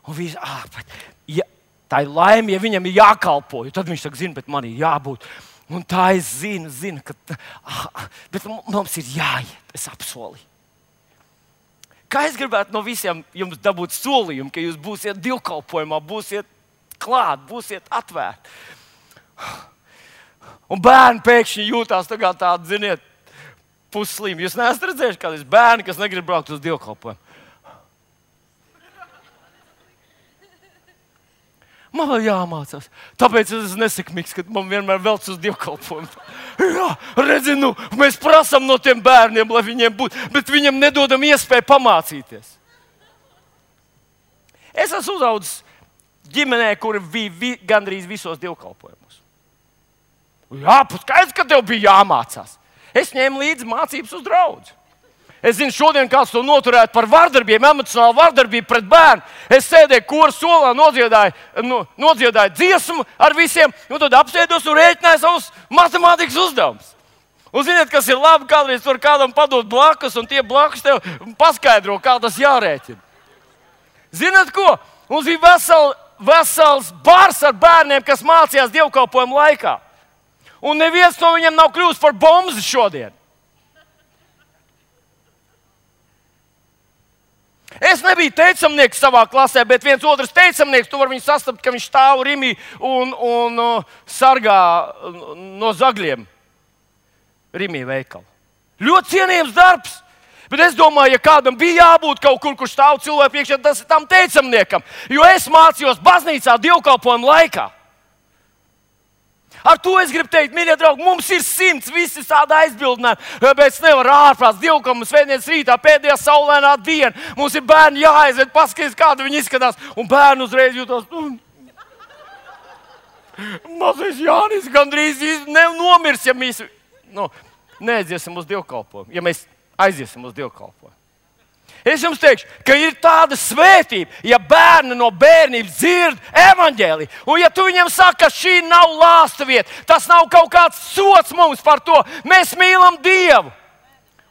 Un vīrs, ah, bet, ja, tā ir laime, ja viņam ir jākalpo, tad viņš saka, zina, bet man ir jābūt. Un tā es zinu, zinu, ka ah, bet mums ir jāiet, es apsolīju. Kā es gribētu no visiem jums dabūt solījumu, ka jūs būsiet divkalpojumā, būsiet klāt, būsiet atvērti. Un bērni pēkšņi jūtās tā kā tādi, ziniet, pusslīmi. Jūs neesat redzējuši kādreiz bērni, kas negrib braukt uz dievkalpojumu? Man vēl jāmācās. Tāpēc es esmu nesekmīgs, ka man vienmēr velc uz dievkalpojumu. Jā, redzi, nu, mēs prasām no tiem bērniem, lai viņiem būtu, bet viņiem nedodam iespēju pamācīties. Es esmu uzaudzis ģimenē, kuri bija vi, gandrīz visos dievkalpojumos. Jā, skaidrs, ka tev bija jāmācās. Es ņēmu līdzi mācības uz draudzi. Es zinu, šodien kāds to noturētu par vardarbību, emocionālu vardarbību pret bērnu. Es sēdēju koru solā, nodziedāju, no, nodziedāju dziesmu ar visiem, un tad apsēdos un rēķināju savus matemātikas uzdevumus. Un ziniet, kas ir labi, kādreiz tur kādam padot blakus, un tie blakus tev paskaidro, kā tas jārēķina. Ziniet ko? Mums bija vesel, vesels bars ar bērniem, kas mācījās dievkalpojumu laikā. Un neviens no viņiem nav kļūst par bomzi šodien. Es nebiju teicamnieks savā klasē, bet viens otrs teicamnieks, tu vari viņu sastapt, ka viņš stāv rimī un, un uh, sargā no zagļiem rimī veikalu. Ļoti cienījams darbs, bet es domāju, ja kādam bija jābūt kaut kur, kur stāv cilvēku priekšā, tas ir tam teicamniekam, jo es mācījos baznīcā dievkalpojumu laikā. Ar to es gribu teikt, mīļie draugi, mums ir simts, visi tādi aizbildinājumi, bet es nevaru ārprāts dievkalpojumu svētdienas rītā, pēdējā saulainā diena. Mums ir bērni jāaizved, paskaties, kāda viņi izskatās, un bērni uzreiz jūtas. Nu, mazais Jānis gandrīz ne, nomirs, ja mēs nu, neaiziesim uz dievkalpojumu, ja mēs aiziesim uz dievkalpojumu. Es jums teikšu, ka ir tāda svētība, ja bērni no bērnības dzird evaņģēliju. Un ja tu viņiem saki, ka šī nav lāsta vieta, tas nav kaut kāds sots mums par to, mēs mīlam Dievu.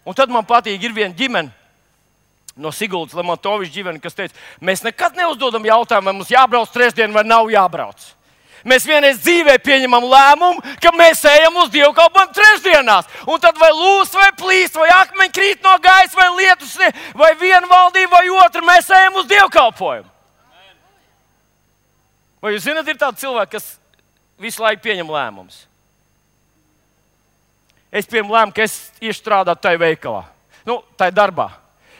Un tad man patīk, ir viena ģimene no Siguldas Lemontoviča ģimene, kas teica, mēs nekad neuzdodam jautājumu, vai mums jābrauc trešdien vai nav jābrauc. Mēs vienreiz dzīvē pieņemam lēmumu, ka mēs ejam uz dievkalpojumu trešdienās. Un tad vai lūs, vai plīst, vai akmeņi krīt no gaisa, vai lietus, vai viena valdība, vai otra, mēs ejam uz dievkalpojumu. Vai jūs zināt, ir tādi cilvēki, kas visu laiku pieņem lēmumus? Es pieņemu lēmumu, ka es iešu strādāt tajā veikalā, nu, tajā darbā.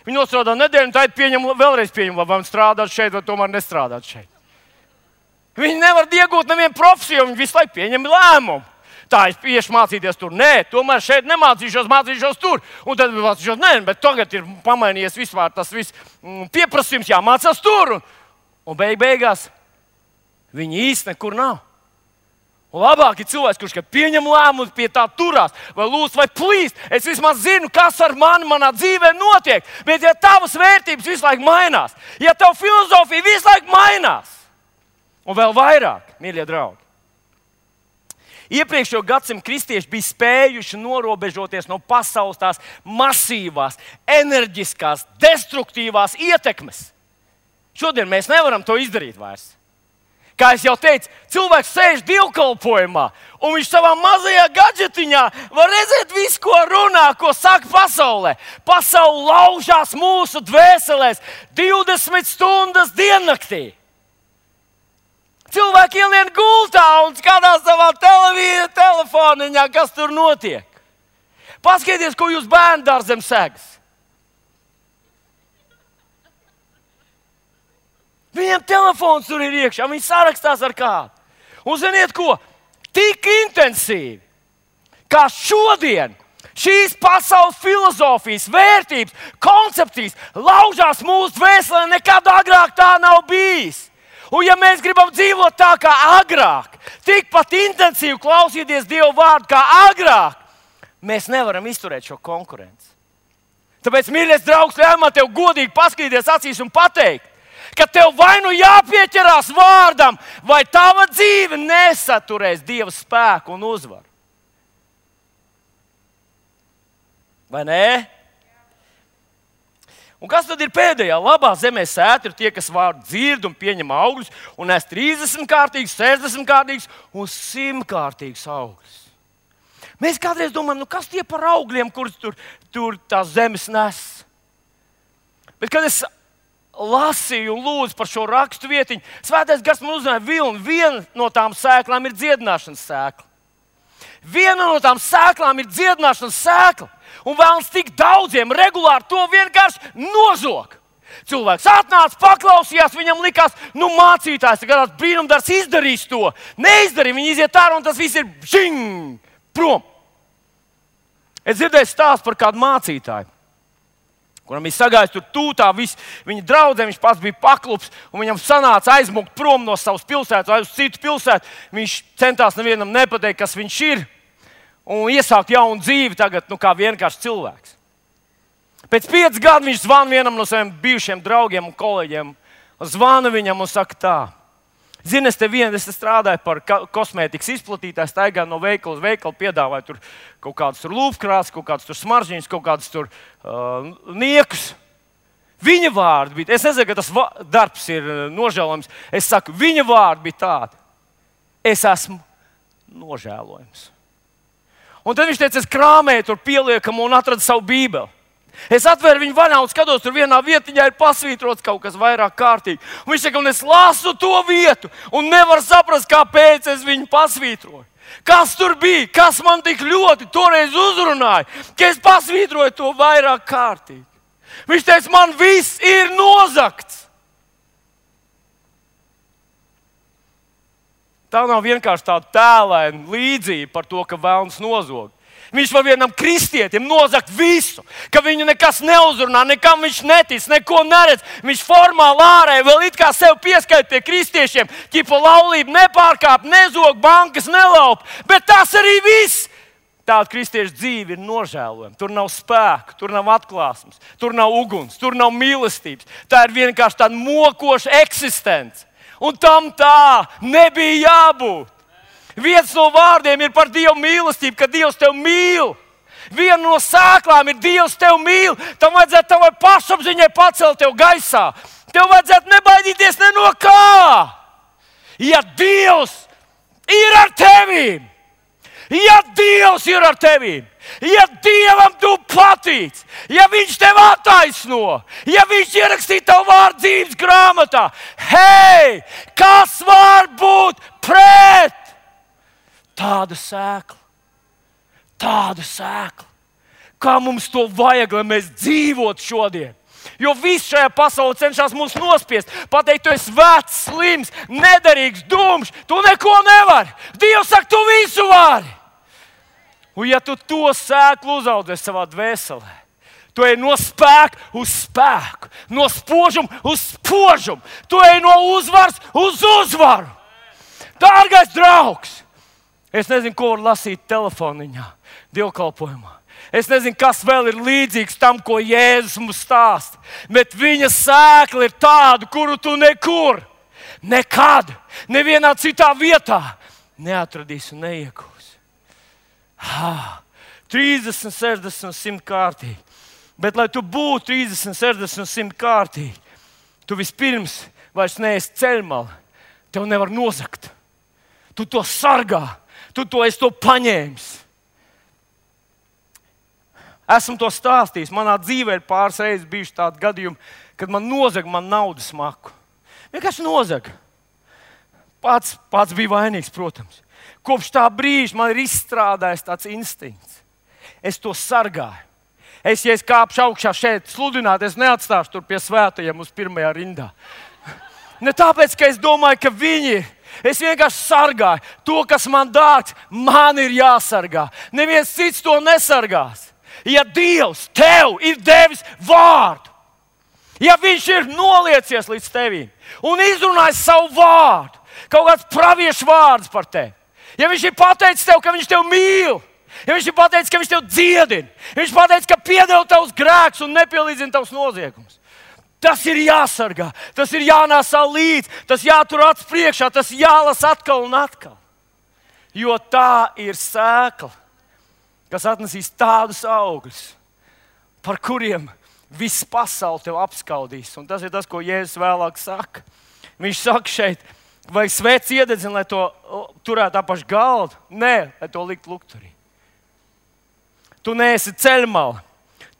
Viņi nostrādā nedēļu, un tad pieņem, vēlreiz pieņem, vai man strādāt šeit, vai tomēr nestrādāt šeit. Viņi nevar iegūt nevienu profesiju, viņi visu laiku pieņem lēmumu. Tā, es iešu mācīties tur. Nē, tomēr šeit nemācīšos, mācīšos tur. Un tad mācīšos, nē, bet tagad ir pamainījies vispār tas viss pieprasījums, jāmācās tur. Un, un beig beigās viņi īsti nekur nav. Un labāk ir cilvēks, kurš pieņem lēmumus, pie tā turās, vai lūdz, vai plīst. Es vismaz zinu, kas ar mani manā dzīvē notiek. Bet ja tavas vērtības visu laiku mainās, ja tava filozofija visu laiku mainās, un vēl vairāk, mīļie draugi. Iepriekšējo gadsimtu kristieši bija spējuši norobežoties no pasaules tās masīvās, enerģiskās, destruktīvās ietekmes. Šodien mēs nevaram to izdarīt vairs. Kā es jau teicu, cilvēks sēž dievkalpojumā, un viņš savā mazajā gadžetiņā var redzēt visu, ko runā, ko saka pasaulē. Pasaule laužās mūsu dvēselēs divdesmit stundas diennaktī. Cilvēki ielien gultā un skatās savā televīzijā, telefoniņā, kas tur notiek. Paskatieties, ko jūs bērnu dārzam segas. Viņiem telefons tur ir iekšā, viņi sarakstās ar kādu. Un ziniet ko? Tik intensīvi, kā šodien šīs pasaules filozofijas, vērtības, koncepcijas laužās mūsu dvēselē, nekad agrāk tā nav bijis. Un ja mēs gribam dzīvot tā kā agrāk, tikpat intensīvi klausīties Dieva vārdu kā agrāk, mēs nevaram izturēt šo konkurenci. Tāpēc, mīļais draugs, ļauj man tev godīgi paskatīties acīs un pateikt, ka tev vai nu jāpieķerās vārdam, vai tava dzīve nesaturēs Dieva spēku un uzvaru. Vai ne? Un kas tad ir pēdējā? Labā zemē sēta ir tie, kas vārdu dzird un pieņem augļus, un nes trīsdesmit kārtīgus, sešdesmit kārtīgus un simt kārtīgus augļus. Mēs kādreiz domājam, nu kas tie par augļiem, kurus tur, tur tās zemes nes? Bet, kad es lasīju un lūdzu par šo rakstu vietiņu, Svētais Gars man uzzināja vilni. Viena no tām sēklām ir dziedināšanas sēkla. Viena no tām sēklām ir dziedināšanas sēkla. Un vēlams tik daudziem regulāri to vienkārši nozog. Cilvēks atnāca, paklausījās, viņam likās, nu mācītājs tagad brīnumdarbs izdarīs to. Neizdarīja, viņi iziet ārā un tas viss ir žing, prom. Es dzirdēju stāstu par kādu mācītāju, kuram bija sagājis tur tūtā, visi, viņa draudzē, viņš pats bija paklups, un viņam sanāca aizmukt prom no savas pilsētas, aiz uz citu pilsētu. Viņš centās nevienam nepateikt, kas viņš ir, un iesākt jaunu dzīvi tagad, nu kā vienkārši cilvēks. Pēc pieciem gadiem viņš zvana vienam no saviem bijušiem draugiem un kolēģiem, zvana viņam un saka tā: Zini, es te vien, es te strādāju par kosmētikas izplatītāju, staigāju no veikala uz veikalu, piedāvāju tur kaut kādus lūpkrāsas, kaut kādus smaržģīņus, kaut kādus tur uh, niekus. Viņa vārdi bija, es nezinu, ka tas darbs ir nožēlojams, es saku, viņa vārdi bija tādi: es esmu nožēlojams. Un tad viņš teica, es krāmēju tur pieliekamu un atradu savu bībeli. Es atvēru viņu vaļā un skatos, tur vienā vietiņā ir pasvītrots kaut kas vairāk kārtīgi. Un viņš saka, un es lasu to vietu un nevaru saprast, kāpēc es viņu pasvītroju. Kas tur bija? Kas man tik ļoti toreiz uzrunāja, ka es pasvītroju to vairāk kārtīgi? Viņš teica, man viss ir nozagts. Tā nav vienkārši tāda tēlaina līdzība par to, ka velns nozog. Viņš var vienam kristietim nozagt visu, ka viņu nekas neuzrunā, nekam viņš netic, neko neredz. Viņš formāli ārēji vēl it kā sev pieskaita pie kristiešiem, ķipa laulību nepārkāp, nezog, bankas nelaup, bet tas arī viss. Tāda kristiešu dzīve ir nožēlojama. Tur nav spēka, tur nav atklāsmes, tur nav uguns, tur nav mīlestības. Tā ir vienkārši tāda mokoša eksistence. Un tam tā nebija jābūt. Viens no vārdiem ir par Dieva mīlestību, ka Dievs tevi mīl. Viena no sēklām ir Dievs tevi mīl. Tam vajadzētu tavai pašapziņai pacelt tevi gaisā. Tev vajadzētu nebaidīties ne no kā. Ja Dievs ir ar tevi, ja Dievs ir ar tevi, ja Dievam tu patīc, ja Viņš tevi attaisno, ja Viņš ierakstīja tavu vārdu dzīves grāmatā, hei, kas var būt pret? Tāda sēkla, tāda sēkla. Kā mums to vajag, lai mēs dzīvotu šodien? Jo viss šajā pasaulē cenšas mūs nospiest, pateikt, tu esi vecs, slims, nederīgs, dumjš, tu neko nevari. Dievs saka, tu visu vari. Un ja tu to sēklu uzaudzēsi savā dvēselē, tu ej no spēka uz spēku, no spožuma uz spožumu, tu ej no uzvaras uz uzvaru. Dārgais draugs! Es nezinu, ko var lasīt telefoniņā, dievkalpojumā. Es nezinu, kas vēl ir līdzīgs tam, ko Jēzus mums stāsta. Bet viņa sēkla ir tāda, kuru tu nekur, nekad, nevienā citā vietā neatradīsi un neiegūsi. trīsdesmit, sešdesmit, simt kārtīgi. Bet, lai tu būtu trīsdesmit, sešdesmit, simt kārtīgi, tu vispirms vairs neesi ceļmala. Tev nevar nozagt. Tu to sargā. Tu to esi to paņēmis. Esmu to stāstījis. Manā dzīvē ir pāris reizes bijuši tādi gadījumi, kad man nozaga man naudas maku. Vienkārši nozaga. Pats, pats bija vainīgs, protams. Kopš tā brīža man ir izstrādājis tāds instinkts. Es to sargāju. Es, ja es kāpšu augšā šeit sludināt, es neatstāšu tur pie svētajiem uz pirmajā rindā. Ne tāpēc, ka es domāju, ka viņi ir. Es vienkārši sargāju to, kas man dārgs, man ir jāsargā. Neviens cits to nesargās. Ja Dievs tev ir devis vārdu, ja Viņš ir noliecies līdz tevim un izrunājis savu vārdu, kaut kāds praviešu vārds par tevi, ja Viņš ir pateicis tev, ka Viņš tevi mīl, ja Viņš ir pateicis, ka Viņš tevi dziedina, ja Viņš pateicis, ka piedod tavus grēkus un nepielīdzina tavus noziegumus. Tas ir jāsargā, tas ir jānāsā līdzi, tas jātur acis priekšā, tas jālasa atkal un atkal. Jo tā ir sēkla, kas atnesīs tādus augļus, par kuriem viss pasaule tev apskaudīs. Un tas ir tas, ko Jēzus vēlāk saka. Viņš saka šeit, vai svēc iededzina, lai to turētu apaš galdu? Nē, lai to likt lukturī. Tu neesi ceļmala.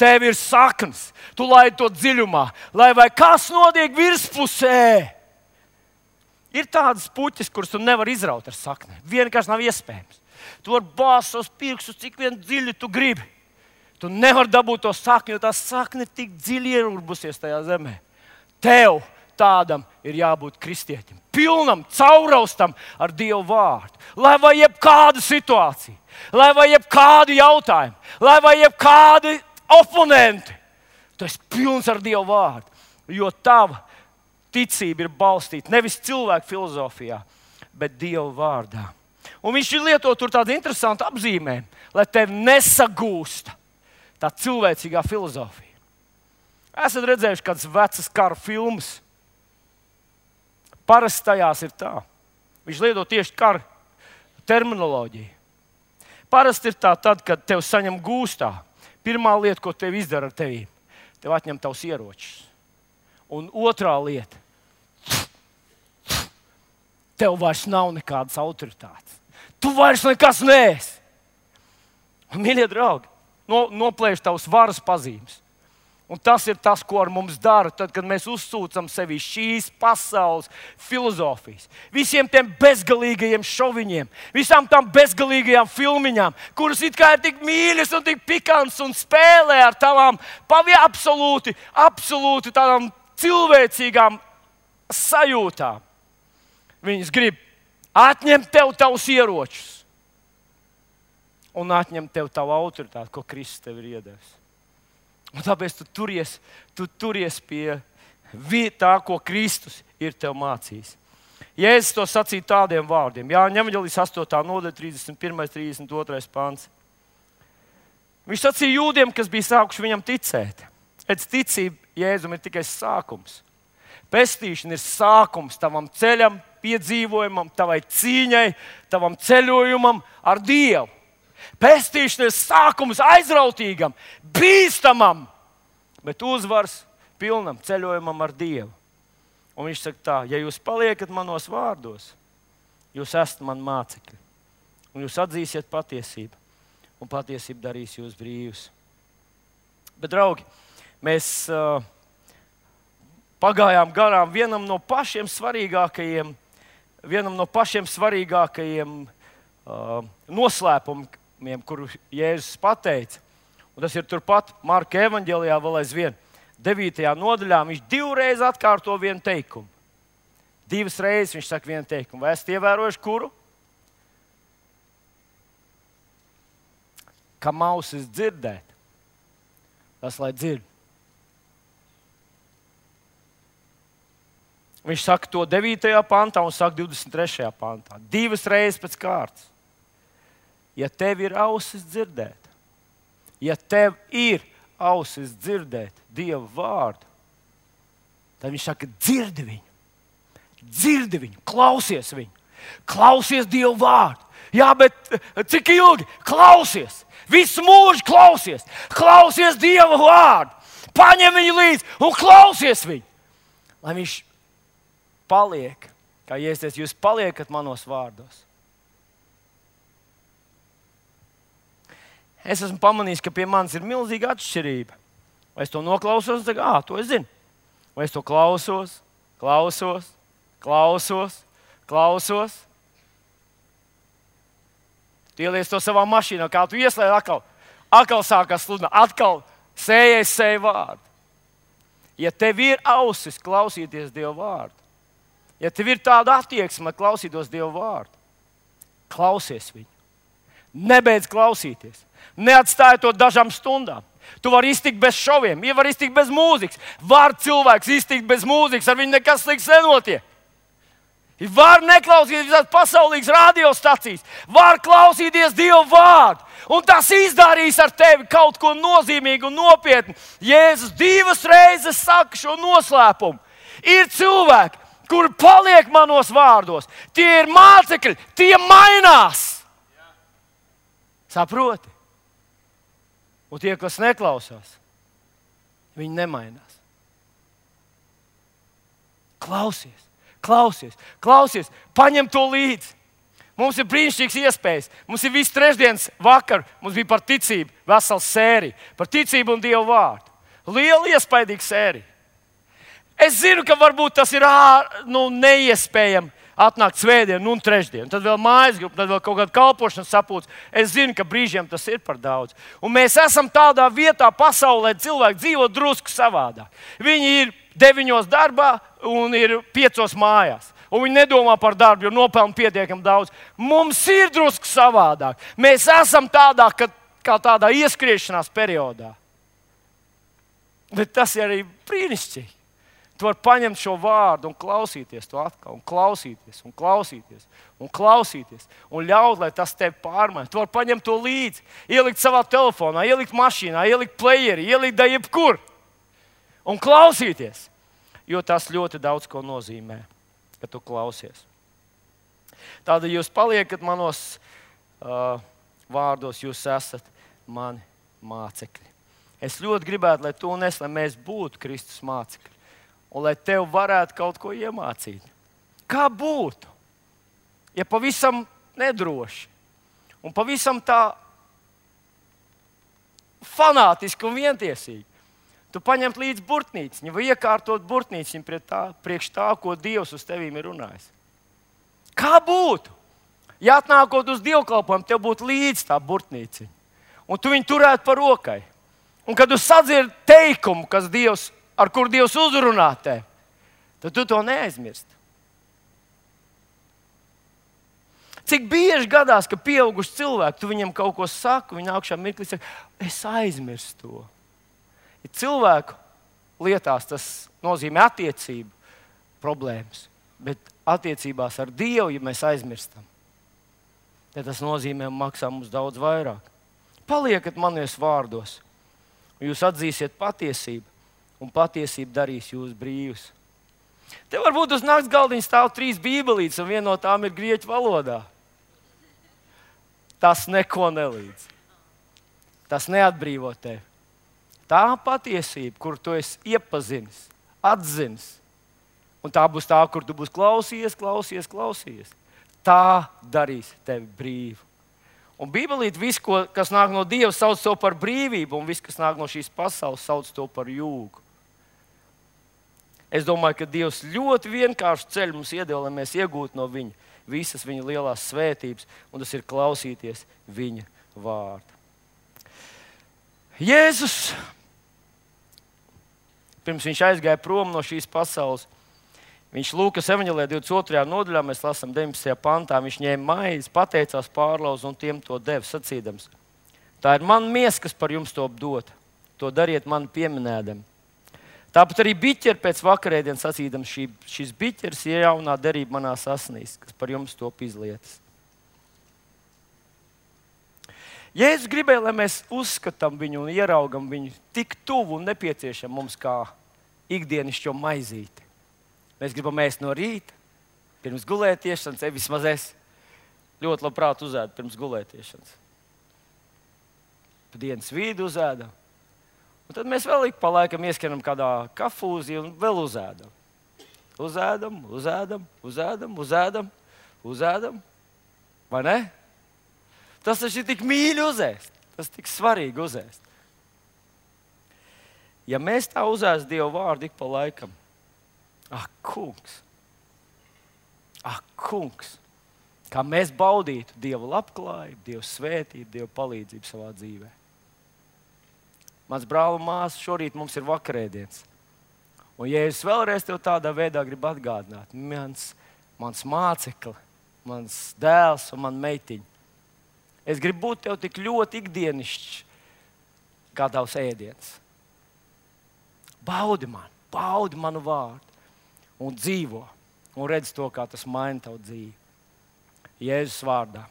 Tev ir saknes, tu laidi to dziļumā, lai vai kas notiek virspusē. Ir tādas puķis, kuras tu nevari izraut ar sakni. Vienkārši nav iespējams. Tu vari bāzt savus pirkstus, cik vien dziļi tu gribi. Tu nevari dabūt to sakni, jo tā sakne tik dziļi ierurbusies tajā zemē. Tev tādam ir jābūt kristietim. Pilnam, cauraustam ar Dievu vārdu. Lai vai jebkāda situācija, lai vai jebkādi jautājumi, lai vai jebkādi oponenti. Tu esi pilns ar Dievu vārdu, jo tava ticība ir balstīta nevis cilvēku filozofijā, bet Dieva vārdā. Un viņš ir lietot tur tādu interesantu apzīmējumu, lai tevi nesagūsta tā cilvēcīgā filozofija. Esat redzējuši kādas vecas kara filmas? Parasti tajās ir tā. Viņš lieto tieši kara terminoloģiju. Parasti ir tā, tad, kad tev saņem gūstā. Pirmā lieta, ko tev izdara ar tevi, tev atņem tavus ieročus. Un otrā lieta, tev vairs nav nekādas autoritātes. Tu vairs nekas neesi. Un, mīļie draugi, no, noplēš tavus varas pazīmes. Un tas ir tas, ko ar mums dara, tad, kad mēs uzsūcam sevi šīs pasaules filozofijas. Visiem tiem bezgalīgajiem šoviņiem, visām tām bezgalīgajām filmiņām, kuras it kā ir tik mīļas un tik pikants un spēlē ar tavām pavi absolūti, absolūti tādām cilvēcīgām sajūtām. Viņas grib atņemt tev tavus ieročus un atņemt tev tavu autoritāti, ko Kristus tev ir iedevis. Un tāpēc tu turies, tu turies pie tā, ko Kristus ir tev mācījis. Jēzus to sacīja tādiem vārdiem. Jāņa evaņģēlijas astotā nodaļa, trīsdesmit pirmais, trīsdesmit otrais pants. Viņš sacīja jūdiem, kas bija sākuši viņam ticēt. Pēc ticība Jēzum ir tikai sākums. Pestīšana ir sākums tavam ceļam, piedzīvojumam, tavai cīņai, tavam ceļojumam ar Dievu. Pestīšana ir sākums aizrautīgam, bīstamam, bet uzvars pilnam ceļojumam ar Dievu. Un viņš saka tā, ja jūs paliekat manos vārdos, jūs esat man mācekļi. Un jūs atzīsiet patiesību, un patiesība darīs jūs brīvus. Bet, draugi, mēs uh, pagājām garām vienam no pašiem svarīgākajiem, vienam no pašiem svarīgākajiem uh, noslēpumiem, kuru Jēzus pateica. Un tas ir turpat Marka evaņģēlijā vēl aizvien. devītajā nodaļā viņš divreiz atkārto vienu teikumu. Divas reizes viņš saka vienu teikumu. Vai esat ievērojuši kuru? Kam ausis dzirdēt, tas lai dzird. Viņš saka to devītajā pantā un saka divdesmit trešajā pantā. Divas reizes pēc kārtas. Ja tev ir ausis dzirdēt, ja tev ir ausis dzirdēt Dieva vārdu, tad viņš saka, dzirdi viņu, dzirdi viņu, klausies viņu, klausies Dieva vārdu. Jā, bet cik ilgi? Klausies, visu mūžu klausies, klausies Dieva vārdu, paņem viņu līdzi un klausies viņu. Lai viņš paliek, kā Jēzus, jūs paliekat manos vārdos. Es esmu pamanījis, ka pie manis ir milzīga atšķirība. Vai es to noklausos un saku, ah, to es zinu. Vai es to klausos, klausos, klausos, klausos. Tu ieliec to savā mašīnā, kā tu ieslēdz atkal. Atkal sākās sludināt, atkal sējies sēju vārdu. Ja tev ir ausis klausīties Dieva vārdu, ja tev ir tāda attieksme klausītos Dieva vārdu, klausies viņu. Nebeidz klausīties. Neatstāj to dažām stundām. Tu vari iztikt bez šoviem, ja vari iztikt bez mūzikas. Var cilvēks iztikt bez mūzikas, ar viņu nekas slikts nenotiek. Var neklausīties visās pasaulīgas radiostacijas. Var klausīties Dieva vārdu. Un tas izdarīs ar tevi kaut ko nozīmīgu un nopietnu. Jēzus divas reizes saka šo noslēpumu. Ir cilvēki, kuri paliek manos vārdos. Tie ir mācekļi, tie mainās. Saproti? Un tie, kas neklausās, viņi nemainās. Klausies, klausies, klausies, paņem to līdzi. Mums ir brīnišķīgas iespējas. Mums ir viss trešdienas vakar, mums bija par ticību vesela sērija. Par ticību un Dievu vārdu. Liela iespaidīga sērija. Es zinu, ka varbūt tas ir ā, nu, neiespējami atnākt svētdien un trešdien. Tad vēl mājas grupa, tad vēl kaut kāda kalpošana sapūts. Es zinu, ka brīžiem tas ir par daudz. Un mēs esam tādā vietā pasaulē, cilvēki dzīvo drusku savādāk. Viņi ir deviņos darbā un ir piecos mājās. Un viņi nedomā par darbu, jo nopelna pietiekami daudz. Mums ir drusku savādāk. Mēs esam tādā, ka, kā tādā ieskriešanās periodā. Bet tas ir arī brīnišķīgi. Tu vari paņemt šo vārdu un klausīties to atkal, un klausīties, un klausīties, un klausīties, un ļaut, lai tas tevi pārmaina. Tu vari paņemt to līdzi, ielikt savā telefonā, ielikt mašīnā, ielikt playerī, ielikt da jebkur. Un klausīties, jo tas ļoti daudz ko nozīmē, ka tu klausies. Tāda jūs paliekat manos uh, vārdos, jūs esat mani mācekļi. Es ļoti gribētu, lai tu un es, lai mēs būtu Kristus mācekļi. Un lai tev varētu kaut ko iemācīt. Kā būtu, ja pavisam nedroši un pavisam tā fanātiski un vientiesīgi tu paņemt līdzi burtnīciņu vai iekārtot burtnīciņu priekš tā, ko Dievs uz tevīm ir runājis. Kā būtu, ja atnākot uz dievkalpojumu, tev būtu līdzi tā burtnīciņa un tu viņu turētu par rokai. Un kad tu sadzirdi teikumu, kas Dievs ar kur Dievs uzrunā tevi, tad tu to neaizmirsti. Cik bieži gadās, ka pieauguši cilvēki, tu viņam kaut ko saki, viņi augšā mirklī saka, es aizmirstu to. Ja cilvēku lietās tas nozīmē attiecību problēmas, bet attiecībās ar Dievu, ja mēs aizmirstam, tad tas nozīmē maksā mums daudz vairāk. Paliekat manos vārdos, un jūs atzīsiet patiesību. Un patiesība darīs jūs brīvus. Te varbūt uz nakts galdiņa stāv trīs bībelītes, un viena no tām ir grieķu valodā. Tas neko nelīdz. Tas neatbrīvo tevi. Tā patiesība, kur tu esi iepazinis, atzinis, un tā būs tā, kur tu būsi klausies, klausies, klausies. Tā darīs tevi brīvu. Un bībelīte, viss, ko, kas nāk no Dieva, sauc to par brīvību, un viss, kas nāk no šīs pasaules, sauc to par jūgu. Es domāju, ka Dievs ļoti vienkāršu ceļu mums iedeva, lai mēs iegūtu no viņa visas viņa lielās svētības, un tas ir klausīties viņa vārdu. Jēzus, pirms viņš aizgāja prom no šīs pasaules, viņš Lūkas evaņģēlijā divdesmit otrajā nodaļā, mēs lasām deviņpadsmitajā pantā, viņš ņēma maizi, pateicās, pārlauza un tiem to deva, sacīdams: tā ir mana miesa, kas par jums top dota. To dariet mani pieminēdami. Tāpat arī biķeri pēc vakarēdienas sacīdams, šī, šis biķeris ir jaunā derība manās asinīs, kas par jums top izlietas. Jēzus gribēja, lai mēs uzskatām viņu un ieraugam viņu tik tuvu un nepieciešam mums kā ikdienišķo maizīti. Mēs gribam ēst no rīta, pirms gulētiešanas, ja vismaz es ļoti labprāt uzēdu pirms gulētiešanas. Pa dienas vidu uzēdam. Un tad mēs vēl ik pa laikam ieskanam kādā kafūzī un vēl uzēdam. Uzēdam, uzēdam, uzēdam, uzēdam, uzēdam. Vai ne? Tas taču ir tik mīļi uzēst. Tas tik svarīgi uzēst. Ja mēs tā uzēst Dievu vārdu ik pa laikam, ak, kungs, ak, kungs, kā mēs baudītu Dievu labklājību, Dievu svētību, Dievu palīdzību savā dzīvē. Mans brāl un māsa, šorīt mums ir vakarēdienas. Un ja es vēlreiz tev tādā veidā gribu atgādināt, mans, mans mācekli, mans dēls un man meitiņa, es gribu būt tev tik ļoti ikdienišķs, kā tavs ēdiens. Baudi man, baudi manu vārdu un dzīvo. Un redz to, kā tas maina tavu dzīvi. Jēzus vārdā.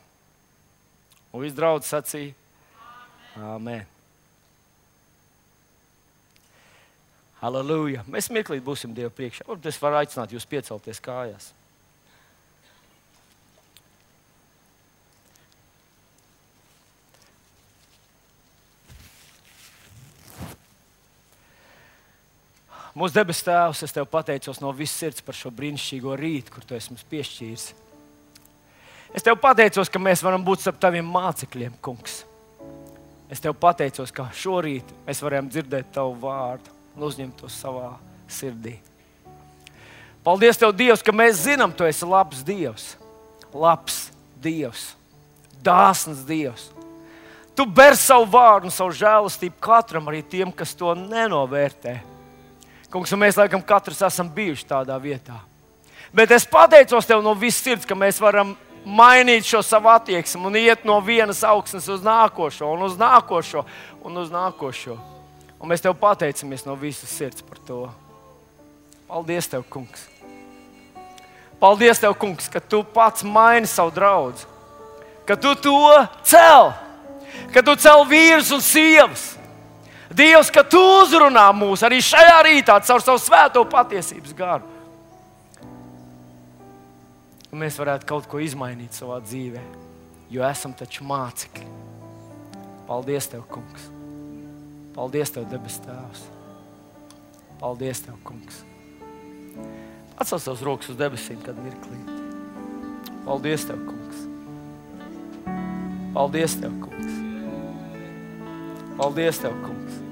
Un viss draudz sacīja: Āmen. Halleluja. Mēs mirklīt būsim Dievu priekšā. Varbūt es varu aicināt jūs piecelties kājās. Mūsu debes Tēvs, es Tev pateicos no visas sirds par šo brīnišķīgo rītu, kur Tu esi mums piešķīris. Es Tev pateicos, ka mēs varam būt starp Taviem mācekļiem, Kungs. Es Tev pateicos, ka šorīt mēs varam dzirdēt Tavu vārdu un uzņemt to savā sirdī. Paldies Tev, Dievs, ka mēs zinām, Tu esi labs Dievs. Labs Dievs. Dāsns Dievs. Tu ber savu vārdu un savu žēlastību katram, arī tiem, kas to nenovērtē. Kungs, un mēs laikam katrs esam bijuši tādā vietā. Bet es pateicos Tev no visas sirds, ka mēs varam mainīt šo savu attieksmi un iet no vienas augsnes uz nākošo, un uz nākošo, un uz nākošo. Un mēs Tev pateicamies no visas sirds par to. Paldies Tev, Kungs. Paldies Tev, Kungs, ka Tu pats maini savu draudzi. Ka Tu to cel. Ka Tu cel vīrus un sievas. Dievs, ka Tu uzrunā mūs arī šajā rītā caur savu svēto patiesības garu. Un mēs varētu kaut ko izmainīt savā dzīvē, jo esam taču mācekļi. Paldies Tev, Kungs. Paldies Tev, debes Tēvs. Paldies Tev, Kungs. Atcel savus rokas uz debesīm, kad mirklīt. Paldies Tev, Kungs. Paldies Tev, Kungs. Paldies Tev, Kungs.